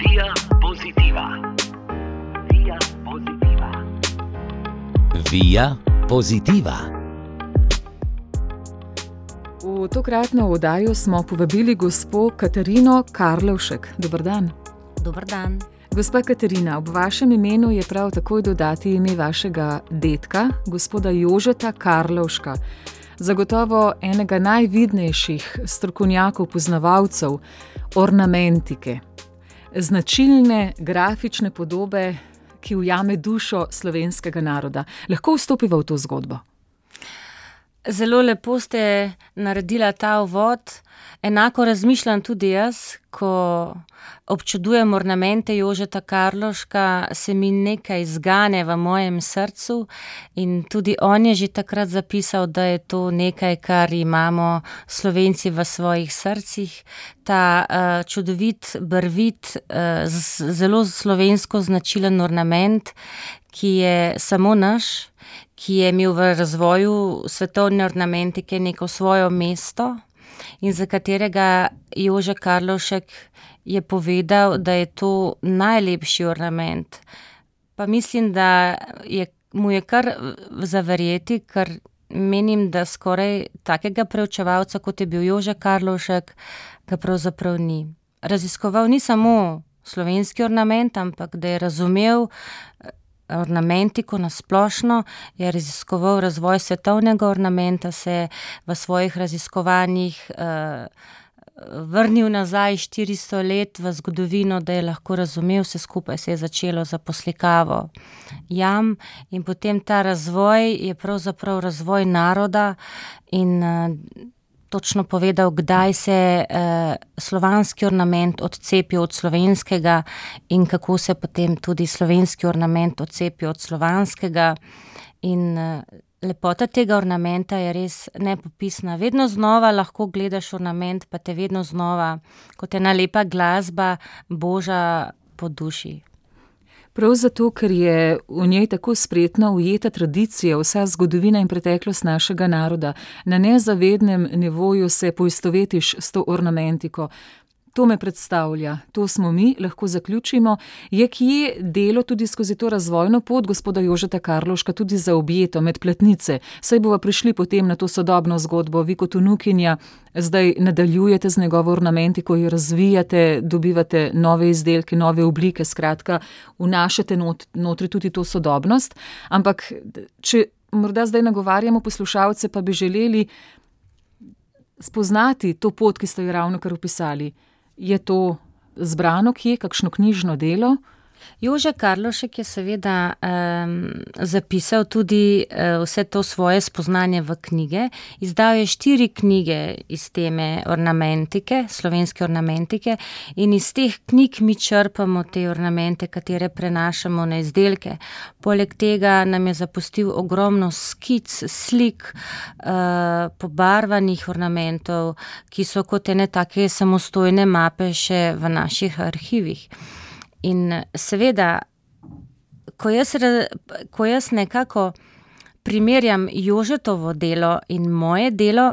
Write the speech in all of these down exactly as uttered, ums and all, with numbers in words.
Via Positiva. Via Positiva. Via Positiva. V tokratno oddajo smo povabili gospo Katarino Karlovšek. Dober dan. Dober dan. Gospa Katarina, ob vašem imenu je prav takoj dodati ime vašega dedka, gospoda Jožeta Karlovška. Zagotovo enega najvidnejših strokovnjakov, poznavalcev ornamentike. Značilne grafične podobe, ki ujame dušo slovenskega naroda. Lahko vstopiva v to zgodbo? Zelo lepo ste naredila ta uvod. Enako razmišljam tudi jaz, ko občudujem ornamente Jožeta Karlovška, se mi nekaj zgane v mojem srcu in tudi on je že takrat zapisal, da je to nekaj, kar imamo Slovenci v svojih srcih. Ta uh, čudovit, barvit, uh, z, zelo slovensko značilen ornament, ki je samo naš, ki je imel v razvoju svetovne ornamentike neko svoje mesto in za katerega Jože Karlovšek je povedal, da je to najlepši ornament. Pa mislim, da je, mu je kar zaverjeti, ker menim, da skoraj takega preučevalca, kot je bil Jože Karlovšek, ga pravzaprav ni. Raziskoval ni samo slovenski ornament, ampak da je razumel ornamentiko nasplošno, je raziskoval razvoj svetovnega ornamenta, se v svojih raziskovanjih uh, vrnil nazaj štiristo let v zgodovino, da je lahko razumel, vse skupaj se je začelo za poslikavo jam in potem ta razvoj je pravzaprav razvoj naroda in uh, točno povedal, kdaj se eh, slovanski ornament odcepi od slovenskega in kako se potem tudi slovenski ornament odcepi od slovanskega. In eh, lepota tega ornamenta je res nepopisna. Vedno znova lahko gledaš ornament, pa te vedno znova, kot ena lepa glasba, boža po duši. Prav zato, ker je v njej tako spretno ujeta tradicija, vsa zgodovina in preteklost našega naroda. Na nezavednem nivoju se poistovetiš s to ornamentiko. To me predstavlja, to smo mi, lahko zaključimo. Je kje delo tudi skozi to razvojno pot gospoda Jožeta Karlovška tudi zaobjeto med platnice? Saj bova prišli potem na to sodobno zgodbo. Vi kot vnukinja zdaj nadaljujete z njegovo ornamentiko, jo razvijate, dobivate nove izdelke, nove oblike, skratka, vnašate not, notri tudi to sodobnost. Ampak, če morda zdaj nagovarjamo poslušalce, pa bi želeli spoznati to pot, ki ste jo ravno kar opisali. Je to zbrano kje, kakšno knjižno delo? Jože Karlovšek je seveda um, zapisal tudi uh, vse to svoje spoznanje v knjige. Izdal je štiri knjige iz teme ornamentike, slovenske ornamentike in iz teh knjig mi črpamo te ornamente, katere prenašamo na izdelke. Poleg tega nam je zapustil ogromno skic, slik, uh, pobarvanih ornamentov, ki so kot ene take samostojne mape še v naših arhivih. In seveda, ko jaz, ko jaz nekako primerjam Jožetovo delo in moje delo,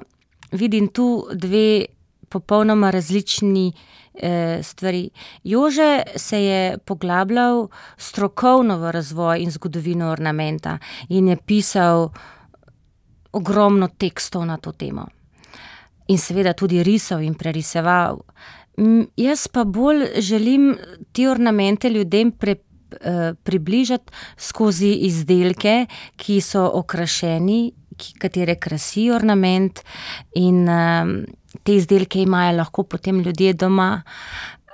vidim tu dve popolnoma različni eh, stvari. Jože se je poglabljal strokovno v razvoj in zgodovino ornamenta in je pisal ogromno tekstov na to temo. In seveda tudi risal in preriseval. Jaz pa bolj želim te ornamente ljudem pre, eh, približati skozi izdelke, ki so okrašeni, ki, katere krasi ornament in eh, te izdelke imajo lahko potem ljudje doma.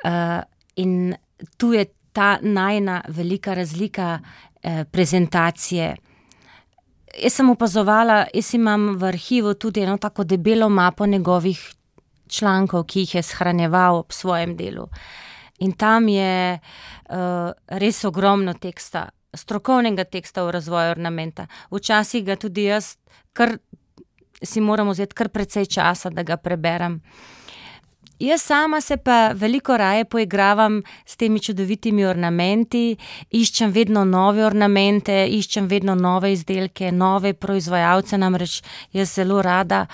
Eh, in tu je ta najna velika razlika eh, prezentacije. Jaz sem opazovala, jaz imam v arhivu tudi eno tako debelo mapo njegovih člankov, ki jih je shranjeval ob svojem delu. In tam je uh, res ogromno teksta, strokovnega teksta v razvoju ornamenta. Včasih ga tudi jaz kar si moram vzeti kar precej časa, da ga preberem. Jaz sama se pa veliko raje poigravam s temi čudovitimi ornamenti, iščem vedno nove ornamente, iščem vedno nove izdelke, nove proizvajalce, namreč jaz zelo rada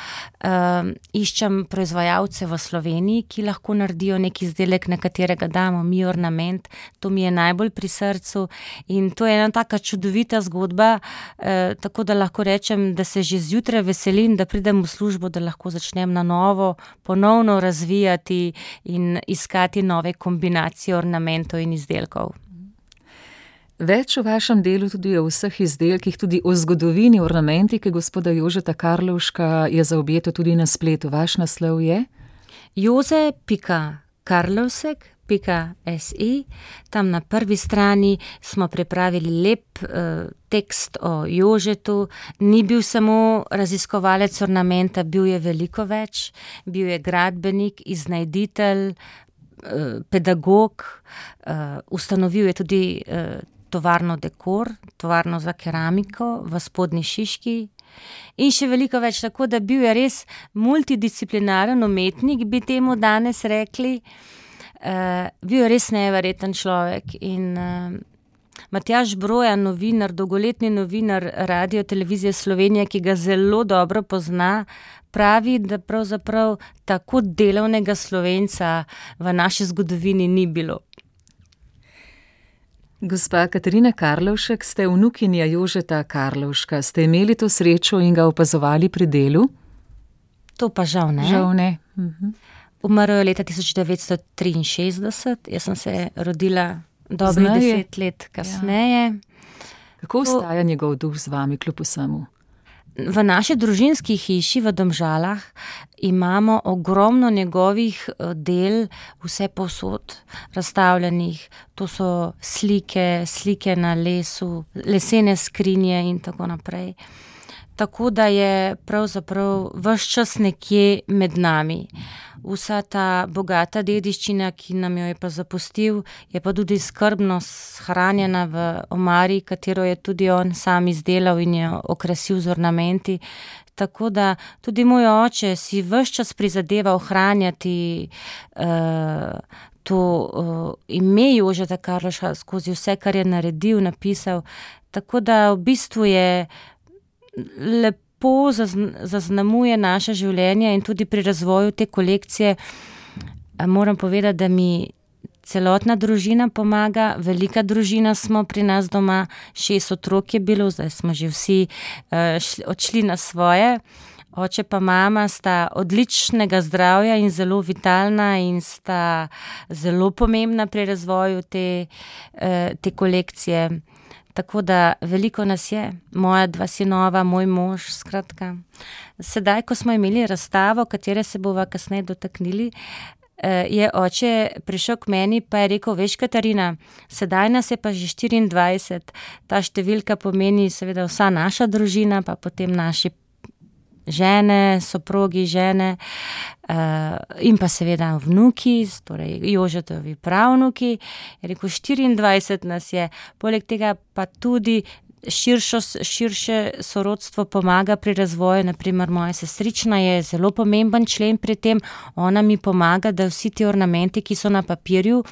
uh, iščem proizvajalce v Sloveniji, ki lahko naredijo nek izdelek, na katerega damo mi ornament. To mi je najbolj pri srcu in to je ena taka čudovita zgodba, uh, tako da lahko rečem, da se že zjutraj veselim, da pridem v službo, da lahko začnem na novo, ponovno razvijati in iskati nove kombinacije ornamentov in izdelkov. Več o vašem delu, tudi o vseh izdelkih, tudi o zgodovini ornamentike gospoda Jožeta Karlovška je zaobjeto tudi na spletu. Vaš naslov je? joze pika karlovsek pika si. Tam na prvi strani smo pripravili lep uh, tekst o Jožetu. Ni bil samo raziskovalec ornamenta, bil je veliko več. Bil je gradbenik, iznajditelj, uh, pedagog, uh, ustanovil je tudi uh, tovarno Dekor, tovarno za keramiko v Spodnji Šiški. In še veliko več, tako da bil je res multidisciplinaren umetnik, bi temu danes rekli. Uh, bil je res neverjeten človek in uh, Matjaž Brojan, novinar, dolgoletni novinar Radio Televizije Slovenije, ki ga zelo dobro pozna, pravi, da pravzaprav tako delovnega Slovenca v naši zgodovini ni bilo. Gospa Katarina Karlovšek, ste vnukinja Jožeta Karlovška. Ste imeli to srečo in ga opazovali pri delu? To pa žal ne. Žal ne. Mhm. Umrl je leta tisoč devetsto triinšestdeset, jaz sem se rodila dobrih Znaje. deset let kasneje. Kako ostaja njegov duh z vami kljub vsemu? V naši družinski hiši v Domžalah imamo ogromno njegovih del vse povsod razstavljenih. To so slike, slike na lesu, lesene skrinje in tako naprej. Tako da je pravzaprav ves čas nekje med nami. Vsa ta bogata dediščina, ki nam jo je pa zapustil, je pa tudi skrbno shranjena v omari, katero je tudi on sam izdelal in jo okrasil z ornamenti. Tako da tudi moj oče si ves čas prizadeva ohranjati uh, to uh, ime Jožeta Karlovška skozi vse, kar je naredil, napisal. Tako da v bistvu je lepo zaznamuje naše življenje in tudi pri razvoju te kolekcije moram povedati, da mi celotna družina pomaga, velika družina smo pri nas doma, šest otrok je bilo, zdaj smo že vsi uh, šli, odšli na svoje. Oče pa mama sta odličnega zdravja in zelo vitalna in sta zelo pomembna pri razvoju te, uh, te kolekcije. Tako da veliko nas je, moja dva sinova, moj mož, skratka. Sedaj, ko smo imeli razstavo, katere se bova kasneje dotaknili, je oče prišel k meni pa je rekel, veš Katarina, sedaj nas je pa že štiriindvajset, ta številka pomeni seveda vsa naša družina, pa potem naši žene, soprogi, žene uh, in pa seveda vnuki, torej Jožetovi pravnuki. Je rekel, štiriindvajset nas je, poleg tega pa tudi širšo, širše sorodstvo pomaga pri razvoju, naprimer moja sestrična je zelo pomemben člen pri tem, ona mi pomaga, da vsi ti ornamenti, ki so na papirju,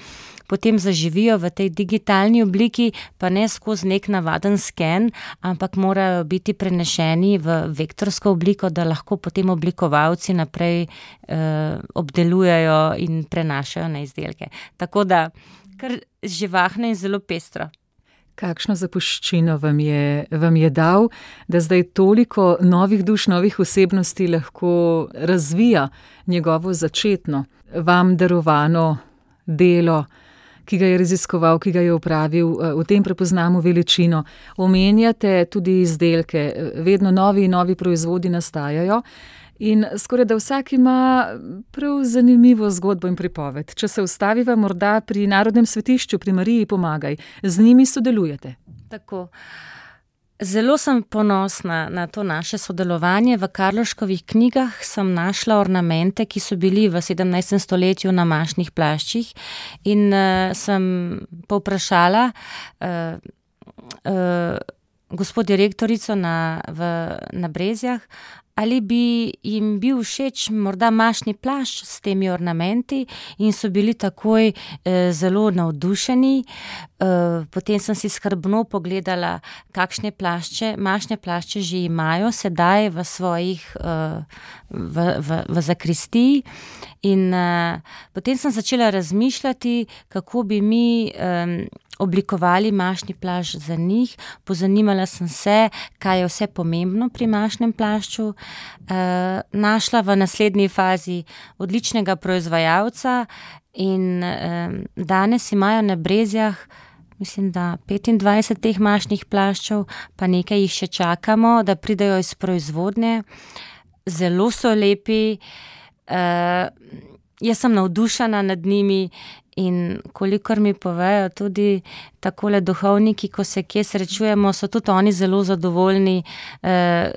potem zaživijo v tej digitalni obliki, pa ne skozi nek navaden sken, ampak morajo biti prenešeni v vektorsko obliko, da lahko potem oblikovalci naprej eh, obdelujejo in prenašajo na izdelke. Tako da, kar živahno in zelo pestro. Kakšno zapuščino vam je, vam je dal, da zdaj toliko novih duš, novih osebnosti lahko razvija njegovo začetno, vam darovano delo, ki ga je raziskoval, ki ga je opravil, v tem prepoznamo veličino. Omenjate tudi izdelke, vedno novi in novi proizvodi nastajajo in skoraj da vsak ima prav zanimivo zgodbo in pripoved. Če se ustaviva morda pri Narodnem svetišču, pri Mariji Pomagaj, z njimi sodelujete. Tako. Zelo sem ponosna na to naše sodelovanje. V Karlovškovih knjigah sem našla ornamente, ki so bili v sedemnajstem stoletju na mašnih plaščih in uh, sem povprašala uh, uh, gospod direktorico na, v, na Brezjah, ali bi jim bil všeč morda mašni plašč s temi ornamenti in so bili takoj eh, zelo navdušeni. Eh, potem sem si skrbno pogledala, kakšne plašče, mašne plašče že imajo sedaj v svojih, eh, v, v, v zakristiji. In eh, potem sem začela razmišljati, kako bi mi eh, oblikovali mašni plašč za njih. Pozanimala sem se, kaj je vse pomembno pri mašnem plašču. E, našla v naslednji fazi odličnega proizvajalca in e, danes imajo na Brezjah, mislim, da petindvajset teh mašnih plaščev, pa nekaj jih še čakamo, da pridejo iz proizvodnje. Zelo so lepi. E, jaz sem navdušena nad njimi. In kolikor mi povejo tudi takole duhovniki, ko se kje srečujemo, so tudi oni zelo zadovoljni, eh,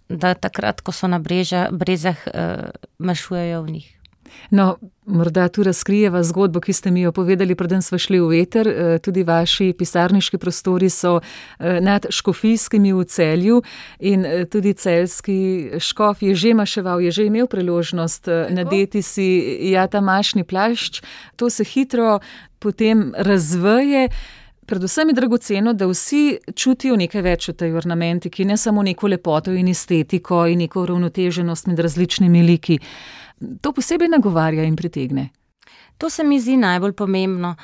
da takrat, ko so na breža, brezah, eh, mašujejo v njih. No, morda tu razkrijeva zgodbo, ki ste mi jo povedali, preden smo šli v veter. Tudi vaši pisarniški prostori so nad Škofijskimi v Celju in tudi celjski škof je že maševal, je že imel priložnost nadeti si ja, ta mašni plašč. To se hitro potem razveje. Predvsem je dragoceno, da vsi čutijo nekaj več v tej ornamentiki, ne samo neko lepoto in estetiko in neko uravnoteženost med različnimi liki. To posebej nagovarja in pritegne. To se mi zdi najbolj pomembno.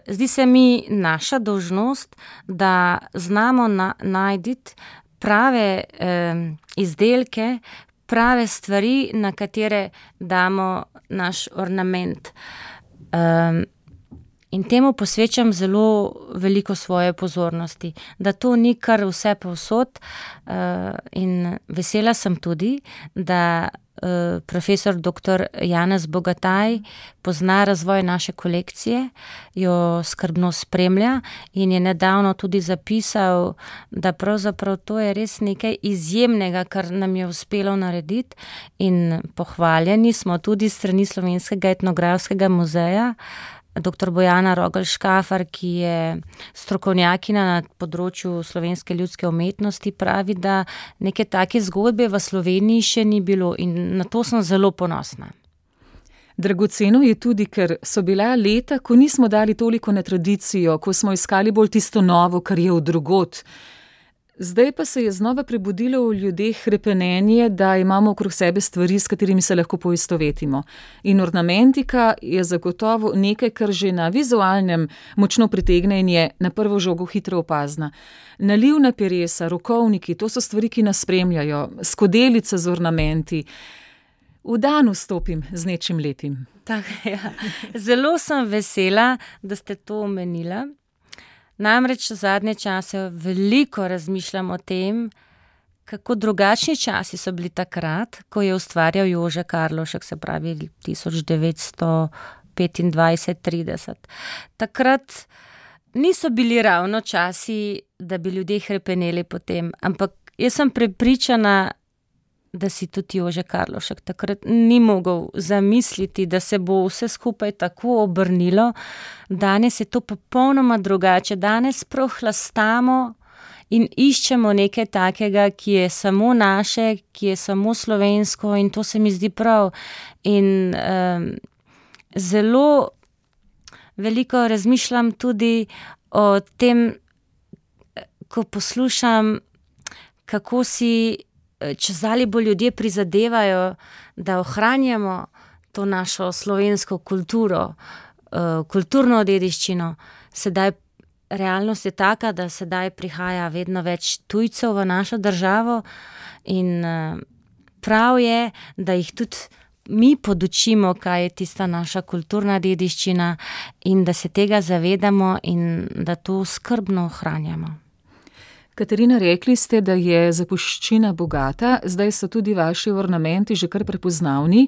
Zdi se mi naša dolžnost, da znamo na, najditi prave eh, izdelke, prave stvari, na katere damo naš ornament. Um, In temu posvečam zelo veliko svoje pozornosti, da to ni kar vse povsod. In vesela sem tudi, da profesor doktor Janez Bogataj pozna razvoj naše kolekcije, jo skrbno spremlja in je nedavno tudi zapisal, da pravzaprav to je res nekaj izjemnega, kar nam je uspelo narediti. In pohvaljeni smo tudi s strani Slovenskega etnografskega muzeja, doktor Bojana Rogelj-Škafar, ki je strokovnjakinja na področju slovenske ljudske umetnosti, pravi, da neke take zgodbe v Sloveniji še ni bilo in na to sem zelo ponosna. Dragoceno je tudi, ker so bila leta, ko nismo dali toliko na tradicijo, ko smo iskali bolj tisto novo, kar je od drugod. Zdaj pa se je znova prebudilo v ljudeh hrepenenje, da imamo okrog sebe stvari, s katerimi se lahko poistovetimo. In ornamentika je zagotovo nekaj, kar že na vizualnem močno pritegne in je na prvo žogo hitro opazna. Nalivna peresa, rokovniki, to so stvari, ki nas spremljajo, skodelice z ornamenti. V dan vstopim z nečim lepim. Tak, ja. Zelo sem vesela, da ste to omenila. Namreč zadnje čase veliko razmišljam o tem, kako drugačni časi so bili takrat, ko je ustvarjal Jože Karlovšek, se pravi tisoč devetsto petindvajset trideset. Takrat niso bili ravno časi, da bi ljudje hrepeneli po tem, ampak jaz sem prepričana, da si tudi Jože Karlovšek takrat ni mogel zamisliti, da se bo vse skupaj tako obrnilo. Danes je to popolnoma drugače. Danes prohlastamo in iščemo nekaj takega, ki je samo naše, ki je samo slovensko in to se mi zdi prav. In um, zelo veliko razmišljam tudi o tem, ko poslušam, kako si čezali bolj ljudje prizadevajo, da ohranjamo to našo slovensko kulturo, kulturno dediščino. Sedaj realnost je taka, da sedaj prihaja vedno več tujcev v našo državo in prav je, da jih tudi mi podučimo, kaj je tista naša kulturna dediščina in da se tega zavedamo in da to skrbno ohranjamo. Katarina, rekli ste, da je zapuščina bogata, zdaj so tudi vaši ornamenti že kar prepoznavni,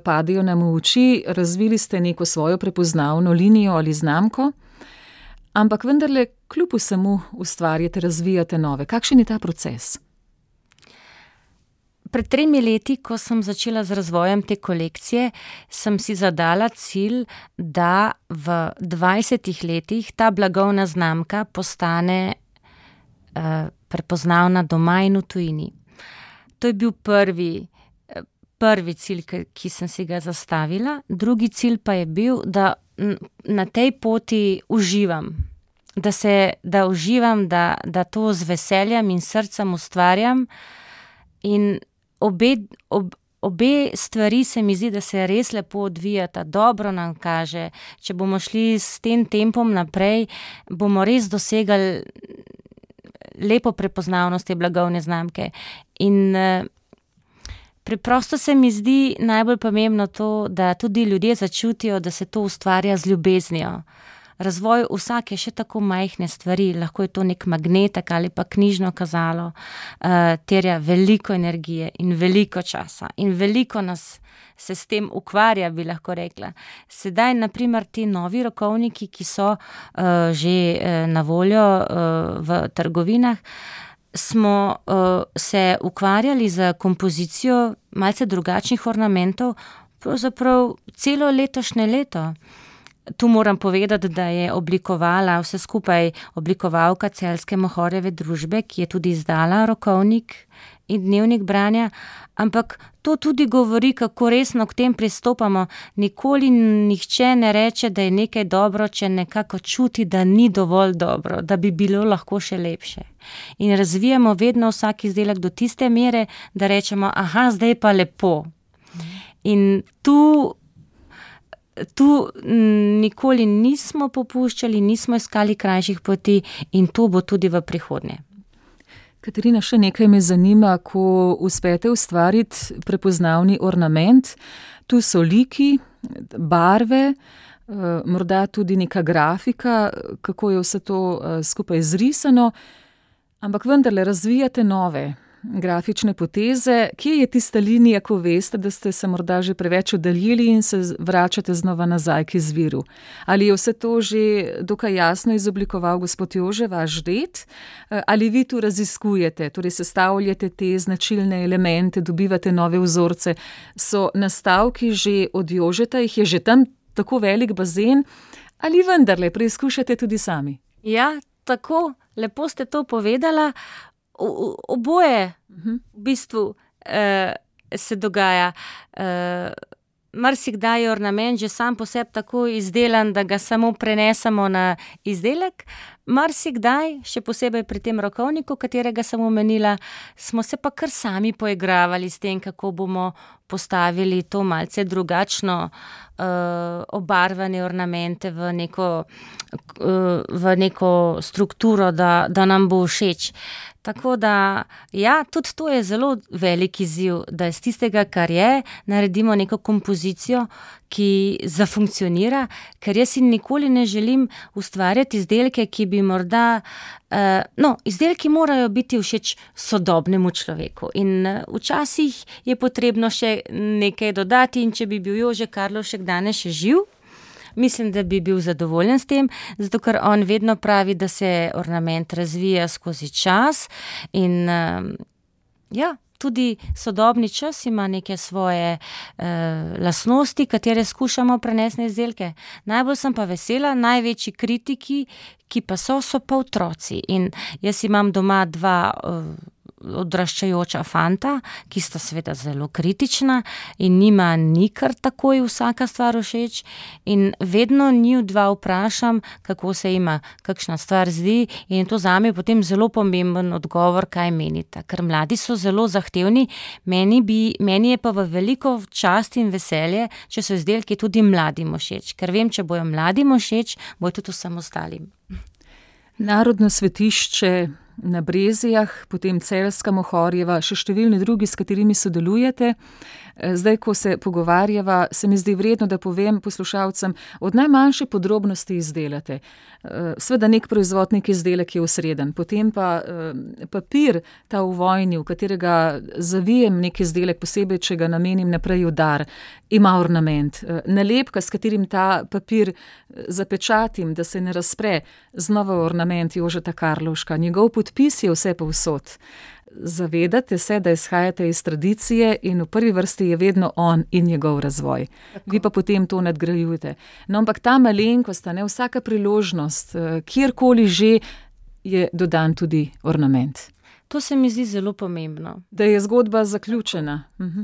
padejo nam v oči, razvili ste neko svojo prepoznavno linijo ali znamko, ampak vendarle kljub vsemu ustvarjate, razvijate nove. Kakšen je ta proces? Pred tremi leti, ko sem začela z razvojem te kolekcije, sem si zadala cilj, da v dvajsetih letih ta blagovna znamka postane prepoznavna doma in v tujini. to je bil prvi, prvi cilj, ki, ki sem si ga zastavila. Drugi cilj pa je bil, da na tej poti uživam. Da, se, da uživam, da, da to z veseljem in srcem ustvarjam. In obe, ob, obe stvari se mi zdi, da se res lepo odvijata, dobro nam kaže. Če bomo šli s tem tempom naprej, bomo res dosegali lepo prepoznavnost te blagovne znamke. In uh, preprosto se mi zdi najbolj pomembno to, da tudi ljudje začutijo, da se to ustvarja z ljubeznijo. Razvoj vsake še tako majhne stvari, lahko je to nek magnetek ali pa knjižno kazalo, uh, terja veliko energije in veliko časa in veliko nas se s tem ukvarja, bi lahko rekla. Sedaj, na primer, ti novi rokovniki, ki so uh, že uh, na voljo uh, v trgovinah, smo uh, se ukvarjali z kompozicijo malce drugačnih ornamentov, pravzaprav celo letošnje leto. Tu moram povedati, da je oblikovala vse skupaj oblikovalka Celjske Mohorjeve družbe, ki je tudi izdala rokovnik in dnevnik branja, ampak to tudi govori, kako resno k tem pristopamo. Nikoli nihče ne reče, da je nekaj dobro, če nekako čuti, da ni dovolj dobro, da bi bilo lahko še lepše. In razvijamo vedno vsak izdelek do tiste mere, da rečemo, aha, zdaj pa lepo. In tu Tu nikoli nismo popuščali, nismo iskali krajših poti in to bo tudi v prihodnje. Katarina, še nekaj me zanima, ko uspete ustvariti prepoznavni ornament. Tu so liki, barve, morda tudi neka grafika, kako je vse to skupaj zrisano, ampak vendarle razvijate nove grafične poteze. Kje je tista linija, ko veste, da ste se morda že preveč oddaljili in se vračate znova nazaj k izviru? Ali je vse to že dokaj jasno izoblikoval gospod Jože, vaš ded? Ali vi tu raziskujete, torej sestavljate te značilne elemente, dobivate nove vzorce? So nastavki že od Jožeta, jih je že tam tako velik bazen? Ali vendarle preizkušate tudi sami? Ja, tako, lepo ste to povedala. O, oboje v bistvu uh, se dogaja. Uh, marsikdaj je ornament že sam po sebi tako izdelan, da ga samo prenesemo na izdelek. Marsikdaj, še posebej pri tem rokovniku, katerega sem omenila, smo se pa kar sami poigravali s tem, kako bomo postavili to malce drugačno uh, obarvane ornamente v neko, uh, v neko strukturo, da, da nam bo všeč. Tako da, ja, tudi to je zelo velik izziv, da iz tistega, kar je, naredimo neko kompozicijo, ki zafunkcionira, ker jaz si nikoli ne želim ustvarjati izdelke, ki bi morda, uh, no, izdelki morajo biti všeč sodobnemu človeku in uh, včasih je potrebno še nekaj dodati in če bi bil Jože Karlovšek danes še živ, mislim, da bi bil zadovoljen s tem, zato ker on vedno pravi, da se ornament razvija skozi čas in uh, ja, tudi sodobni čas ima neke svoje uh, lastnosti, katere skušamo prenesti na izdelke. Najbolj sem pa vesela, največji kritiki, ki pa so, so pa otroci. In jaz imam doma dva uh, odraščajoča fanta, ki sta seveda zelo kritična in njima ni kar takoj vsaka stvar všeč in vedno njiju dva vprašam, kako se ima kakšna stvar zdi in to zame je potem zelo pomemben odgovor, kaj menita, ker mladi so zelo zahtevni, meni, bi, meni je pa v veliko čast in veselje, če so izdelki tudi mladim všeč, ker vem, če bojo mladim všeč, bojo tudi vsem ostalim. Narodno svetišče na Brezijah, potem Celjska Mohorjeva, še številni drugi, s katerimi sodelujete. Zdaj, ko se pogovarjava, se mi zdi vredno, da povem poslušalcem, od najmanjše podrobnosti izdelate. Sveda nek proizvod, nek izdelek je osreden, potem pa papir, ta v vojni, v katerega zavijem nek izdelek, posebej, če ga namenim naprej v dar, ima ornament. Nalepka, s katerim ta papir zapečatim, da se ne razpre, znova ornament Jožeta Karlovška, njegov podpis je vse povsod. Zavedate se, da izhajate iz tradicije in v prvi vrsti je vedno on in njegov razvoj. Tako. Vi pa potem to nadgrajujete. No, ampak ta malenkost, ne, vsaka priložnost, kjerkoli že je dodan tudi ornament. To se mi zdi zelo pomembno. Da je zgodba zaključena. Mhm.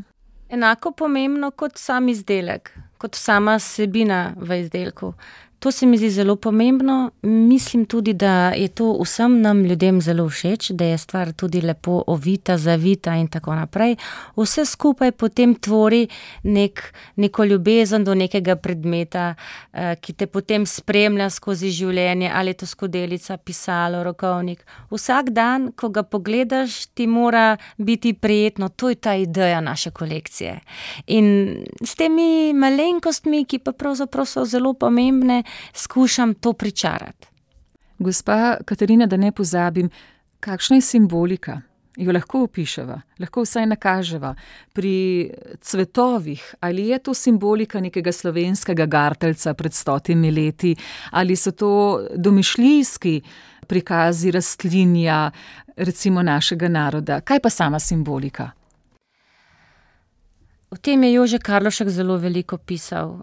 Enako pomembno kot sam izdelek, kot sama vsebina v izdelku. To se mi zdi zelo pomembno. Mislim tudi, da je to vsem nam ljudem zelo všeč, da je stvar tudi lepo ovita, zavita in tako naprej. Vse skupaj potem tvori nek, neko ljubezen do nekega predmeta, eh, ki te potem spremlja skozi življenje, ali je to skodelica, pisalo, rokovnik. Vsak dan, ko ga pogledaš, ti mora biti prijetno. To je ta ideja naše kolekcije. In s temi malenkostmi, ki pa pravzaprav so zelo pomembne, skušam to pričarati. Gospa Katarina, da ne pozabim, kakšna je simbolika? Jo lahko opiševa, lahko vsaj nakaževa. Pri cvetovih, ali je to simbolika nekega slovenskega garteljca pred stotimi leti, ali so to domišljijski prikazi rastlinja, recimo našega naroda? Kaj pa sama simbolika? O tem je Jože Karlovšek zelo veliko pisal.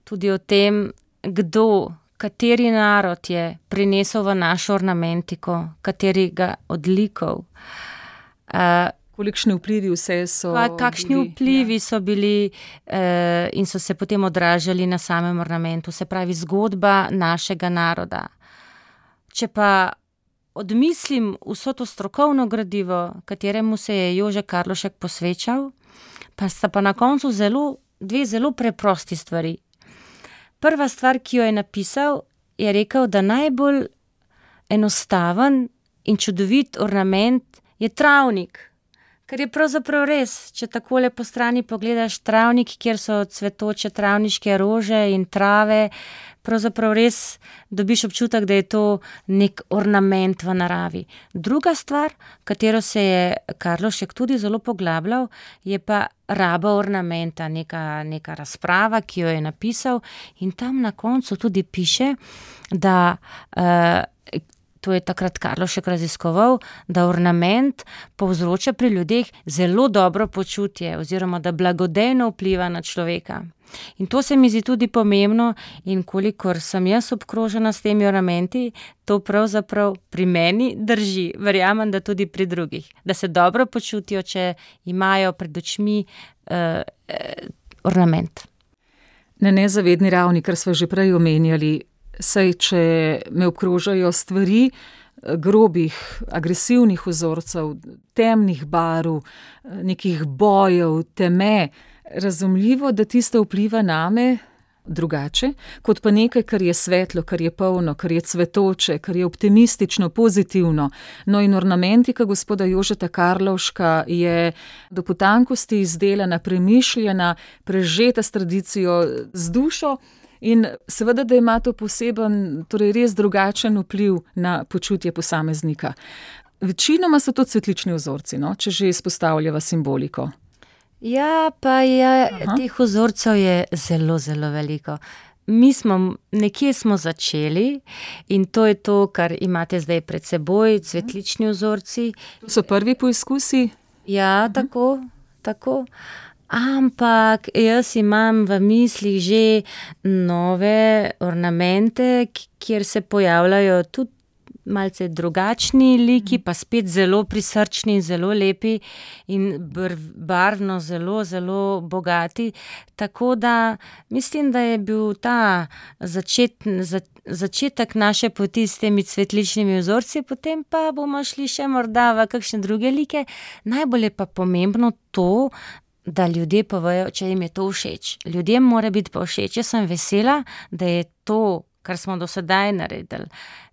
Tudi o tem, kdo, kateri narod je prinesel v našo ornamentiko, katerega odlikov. Uh, Kolikšni vplivi vse so pa, kakšni bili, vplivi ja. so bili uh, in so se potem odražali na samem ornamentu, se pravi zgodba našega naroda. Če pa odmislim vso to strokovno gradivo, kateremu se je Jože Karlovšek posvečal, pa sta pa na koncu zelo, dve zelo preprosti stvari. Prva stvar, ki jo je napisal, je rekel, da najbolj enostaven in čudovit ornament je travnik. Ker je pravzaprav res, če takole po strani pogledaš travnik, kjer so cvetoče travniške rože in trave, pravzaprav res dobiš občutek, da je to nek ornament v naravi. Druga stvar, katero se je Karlovšek tudi zelo poglabljal, je pa raba ornamenta, neka, neka razprava, ki jo je napisal, in tam na koncu tudi piše, da uh, to je takrat Karlovšek raziskoval, da ornament povzroča pri ljudeh zelo dobro počutje oziroma da blagodejno vpliva na človeka. In to se mi zdi tudi pomembno, in kolikor sem jaz obkrožena s temi ornamenti, to pravzaprav pri meni drži. Verjamem, da tudi pri drugih. Da se dobro počutijo, če imajo pred očmi uh, uh, ornament. Na nezavedni ravni, kar smo že prej omenjali, saj če me obkrožajo stvari grobih, agresivnih vzorcev, temnih barv, nekih bojev, teme, razumljivo, da tisto vpliva name drugače, kot pa nekaj, kar je svetlo, kar je polno, kar je cvetoče, kar je optimistično, pozitivno. No in ornamentika gospoda Jožeta Karlovška je do potankosti izdelana, premišljena, prežeta s tradicijo, z dušo. In seveda, da ima to poseben, torej res drugačen vpliv na počutje posameznika. Večinoma so to cvetlični vzorci, no, če že izpostavljava simboliko. Ja, pa je, teh vzorcev je zelo, zelo veliko. Mi smo, nekje smo začeli in to je to, kar imate zdaj pred seboj, cvetlični vzorci. To so prvi poizkusi? Ja, tako, tako. Ampak jaz imam v mislih že nove ornamente, kjer se pojavljajo tudi malce drugačni liki, pa spet zelo prisrčni in zelo lepi in barvno zelo, zelo bogati. Tako da mislim, da je bil ta začet, za, začetek naše poti s temi cvetličnimi vzorci, potem pa bomo šli še morda v kakšne druge like. Najbolj je pa pomembno to, da ljudje povejo, če jim je to všeč. Ljudem mora biti pa všeč. Jaz sem vesela, da je to, kar smo do sedaj naredili,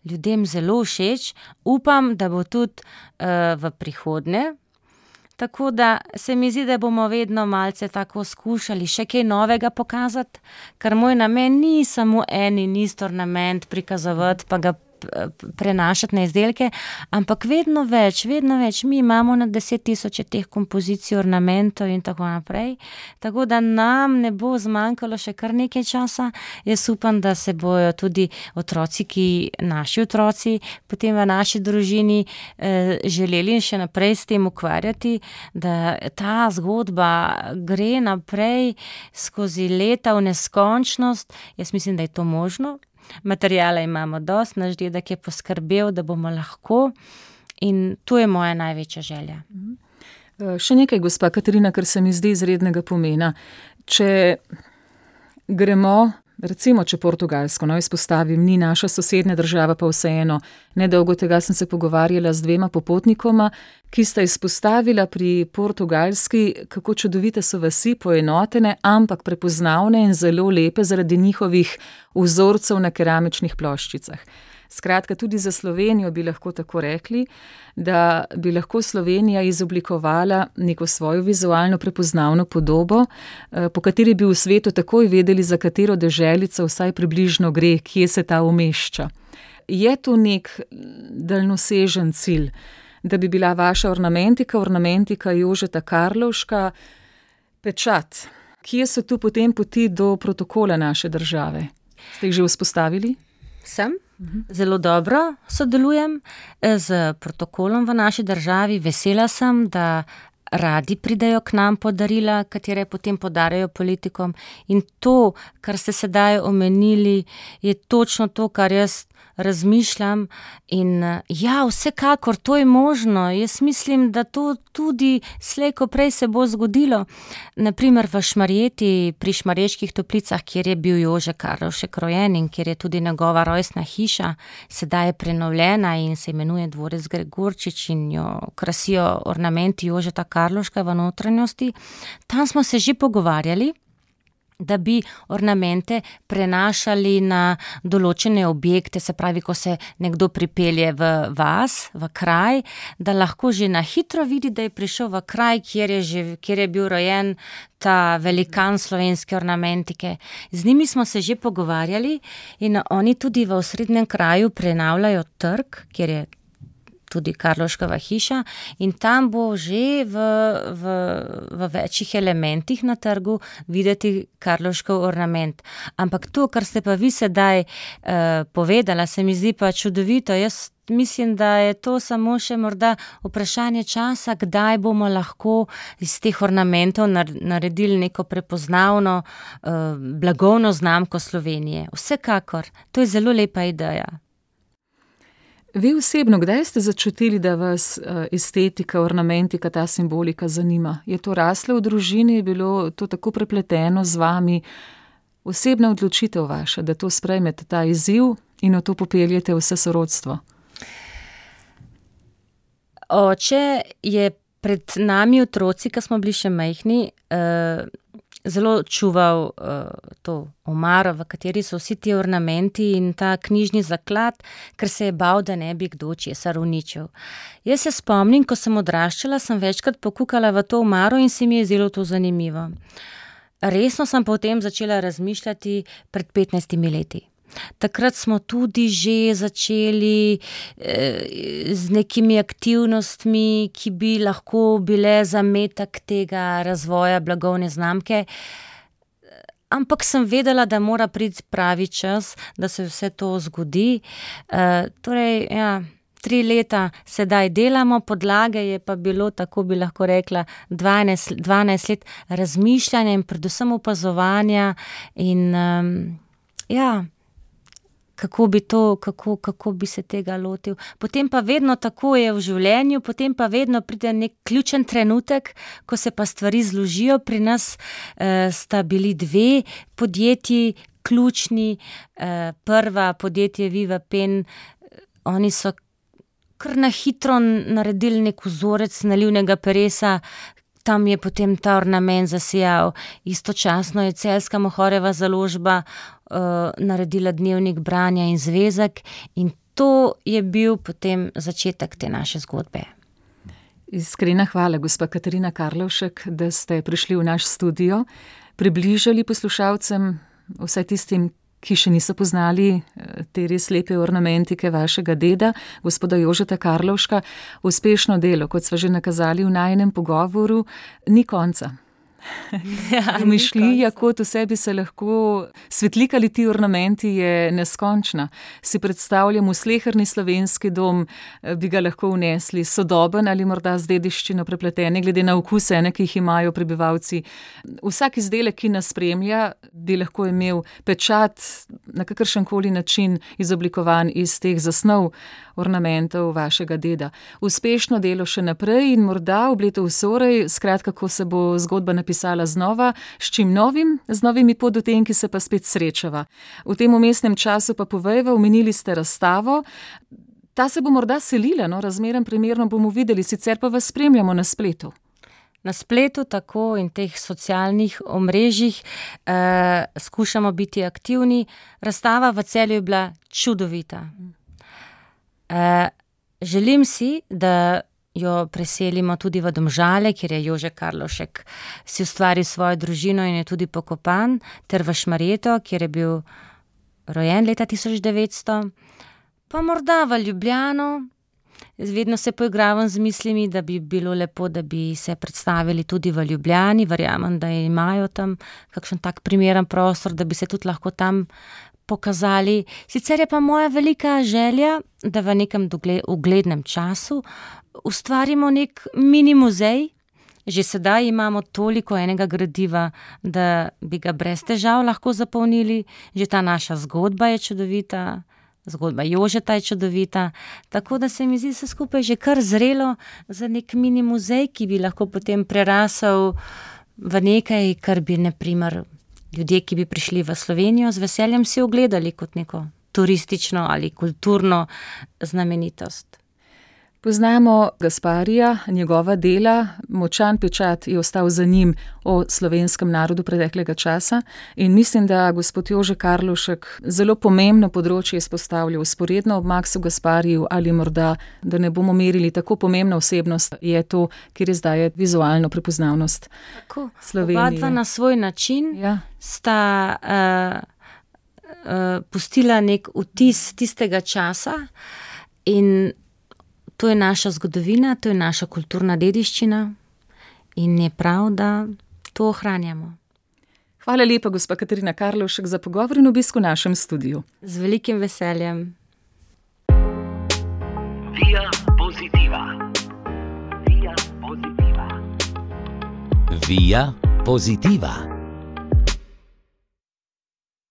ljudem zelo všeč. Upam, da bo tudi uh, v prihodnje. Tako da se mi zdi, da bomo vedno malce tako skušali še kaj novega pokazati, ker moj namen ni samo en in isti ornament prikazovati, pa ga prenašati na izdelke, ampak vedno več, vedno več. Mi imamo na deset tisoče teh kompozicij, ornamentov in tako naprej, tako da nam ne bo zmanjkalo še kar nekaj časa. Jaz upam, da se bojo tudi otroci, ki naši otroci, potem v naši družini eh, želeli in še naprej s tem ukvarjati, da ta zgodba gre naprej skozi leta v neskončnost. Jaz mislim, da je to možno. Materijala imamo dosti, naš dedek je poskrbel, da bomo lahko, in to je moja največja želja. Še nekaj, gospa Katarina, kar se mi zdi izrednega pomena. Če gremo, recimo, če Portugalsko, no, izpostavim, ni naša sosednja država, pa vseeno, nedolgo tega sem se pogovarjala z dvema popotnikoma, ki sta izpostavila pri Portugalski, kako čudovite so vasi, poenotene, ampak prepoznavne in zelo lepe zaradi njihovih vzorcev na keramičnih ploščicah. Skratka, tudi za Slovenijo bi lahko tako rekli, da bi lahko Slovenija izoblikovala neko svojo vizualno prepoznavno podobo, po kateri bi v svetu takoj vedeli, za katero deželico vsaj približno gre, kje se ta umešča. Je to nek daljnosežen cilj, da bi bila vaša ornamentika, ornamentika Jožeta Karlovška, pečat? Kje so tu potem poti do protokola naše države? Ste jih že vzpostavili? Sem. Zelo dobro sodelujem z protokolom v naši državi. Vesela sem, da radi pridejo k nam po darila, katere potem podarjajo politikom. In to, kar ste sedaj omenili, je točno to, kar jaz razmišljam. In ja, vsekakor, to je možno. Jaz mislim, da to tudi slej ko prej se bo zgodilo. Naprimer v Šmarjeti, pri Šmarjeških Toplicah, kjer je bil Jože Karlovšek rojen in kjer je tudi njegova rojstna hiša, sedaj je prenovljena in se imenuje Dvorec Gregorčič in jo krasijo ornamenti Jožeta Karlovška v notranjosti. Tam smo se že pogovarjali, da bi ornamente prenašali na določene objekte, se pravi, ko se nekdo pripelje v vas, v kraj, da lahko že na hitro vidi, da je prišel v kraj, kjer je, že, kjer je bil rojen ta velikan slovenske ornamentike. Z njimi smo se že pogovarjali in oni tudi v osrednjem kraju prenavljajo trg, kjer je tudi Karlovškova hiša in tam bo že v, v, v večjih elementih na trgu videti Karlovškov ornament. Ampak to, kar ste pa vi sedaj uh, povedala, se mi zdi pa čudovito. Jaz mislim, da je to samo še morda vprašanje časa, kdaj bomo lahko iz teh ornamentov naredili neko prepoznavno uh, blagovno znamko Slovenije. Vsekakor, to je zelo lepa ideja. Vi osebno, kdaj ste začutili, da vas estetika, ornamentika, ta simbolika zanima? Je to raslo v družini, je bilo to tako prepleteno z vami? Osebna odločitev vaša, da to sprejmete, ta izziv in v to popeljete vse sorodstvo? Oče je pred nami otroci, ko smo bili še majhni, uh, zelo čuval uh, to omaro, v kateri so vsi ti ornamenti in ta knjižni zaklad, ker se je bal, da ne bi kdo česar uničil. Jaz se spomnim, ko sem odraščala, sem večkrat pokukala v to omaro in se mi je zelo to zanimivo. Resno sem potem začela razmišljati pred petnajstimi leti. Takrat smo tudi že začeli eh, z nekimi aktivnostmi, ki bi lahko bile zametek tega razvoja blagovne znamke, ampak sem vedela, da mora priti pravi čas, da se vse to zgodi. Eh, torej, ja, tri leta sedaj delamo, podlage je pa bilo, tako bi lahko rekla, dvanajst, dvanajst let razmišljanja in predvsem opazovanja in um, ja, Kako bi, to, kako, kako bi se tega lotil. Potem pa vedno tako je v življenju, potem pa vedno pride nek ključen trenutek, ko se pa stvari zložijo. Pri nas eh, sta bili dve podjetji ključni. Eh, prva podjetje Viva Pen, oni so kar na hitro naredili nek vzorec nalivnega peresa, tam je potem ta ornament zasijal. Istočasno je Celjska Mohorjeva založba uh, naredila dnevnik branja in zvezek in to je bil potem začetek te naše zgodbe. Iskrena hvala, gospa Katarina Karlovšek, da ste prišli v naš studio, približali poslušalcem, vsaj tistim, ki še niso poznali te res lepe ornamentike vašega deda, gospoda Jožeta Karlovška. Uspešno delo, kot sva že nakazali v najinem pogovoru, ni konca. Ja, Domišljija, kot v sebi se lahko svetlikali ti ornamenti, je neskončna. Si predstavljam, v sleherni slovenski dom bi ga lahko vnesli sodoben ali morda z dediščino prepletene, glede na okuse, ne, ki jih imajo prebivalci. Vsak izdelek, ki nas spremlja, bi lahko imel pečat na kakršenkoli način izoblikovan iz teh zasnov ornamentov vašega deda. Uspešno delo še naprej in morda obleto vsorej, skratka, ko se bo zgodba napisala znova, s čim novim, z novimi podotenki se pa spet srečava. V tem umestnem času pa povejva, omenili ste razstavo. Ta se bo morda selila, no, razmeram primerno bomo videli, sicer pa vas spremljamo na spletu. Na spletu tako in teh socialnih omrežjih eh, skušamo biti aktivni. Razstava v Celju je bila čudovita. Eh, želim si, da jo preselimo tudi v Domžale, kjer je Jože Karlovšek si ustvaril svojo družino in je tudi pokopan, ter v Šmarjeto, kjer je bil rojen leta tisoč devetsto, pa morda v Ljubljano. Vedno se poigravam z mislimi, da bi bilo lepo, da bi se predstavili tudi v Ljubljani. Verjamem, da imajo tam kakšen tak primeren prostor, da bi se tudi lahko tam pokazali. Sicer je pa moja velika želja, da v nekem uglednem času ustvarimo nek mini muzej. Že sedaj imamo toliko enega gradiva, da bi ga brez težav lahko zapolnili. Že ta naša zgodba je čudovita, zgodba Jožeta je čudovita, tako da se mi zdi vse skupaj že kar zrelo za nek mini muzej, ki bi lahko potem prerasel v nekaj, kar bi, na primer, ljudje, ki bi prišli v Slovenijo, z veseljem si ogledali kot neko turistično ali kulturno znamenitost. Poznamo Gasparija, njegova dela, močan pečat je ostal za njim o slovenskem narodu preteklega časa in mislim, da gospod Jože Karlovšek zelo pomembno področje izpostavlja vzporedno ob Maksu Gaspariju ali morda, da ne bomo merili tako pomembna osebnost, je to, kjer je zdaj vizualno prepoznavnost Tako, Slovenije. Oba dva na svoj način Ja. sta uh, uh, pustila nek vtis tistega časa in to je naša zgodovina, to je naša kulturna dediščina in je prav, da to ohranjamo. Hvala lepa, gospa Katarina Karlovšek, za pogovor in obisk v našem studiu. Z velikim veseljem. Via Positiva. Via Positiva. Via Positiva.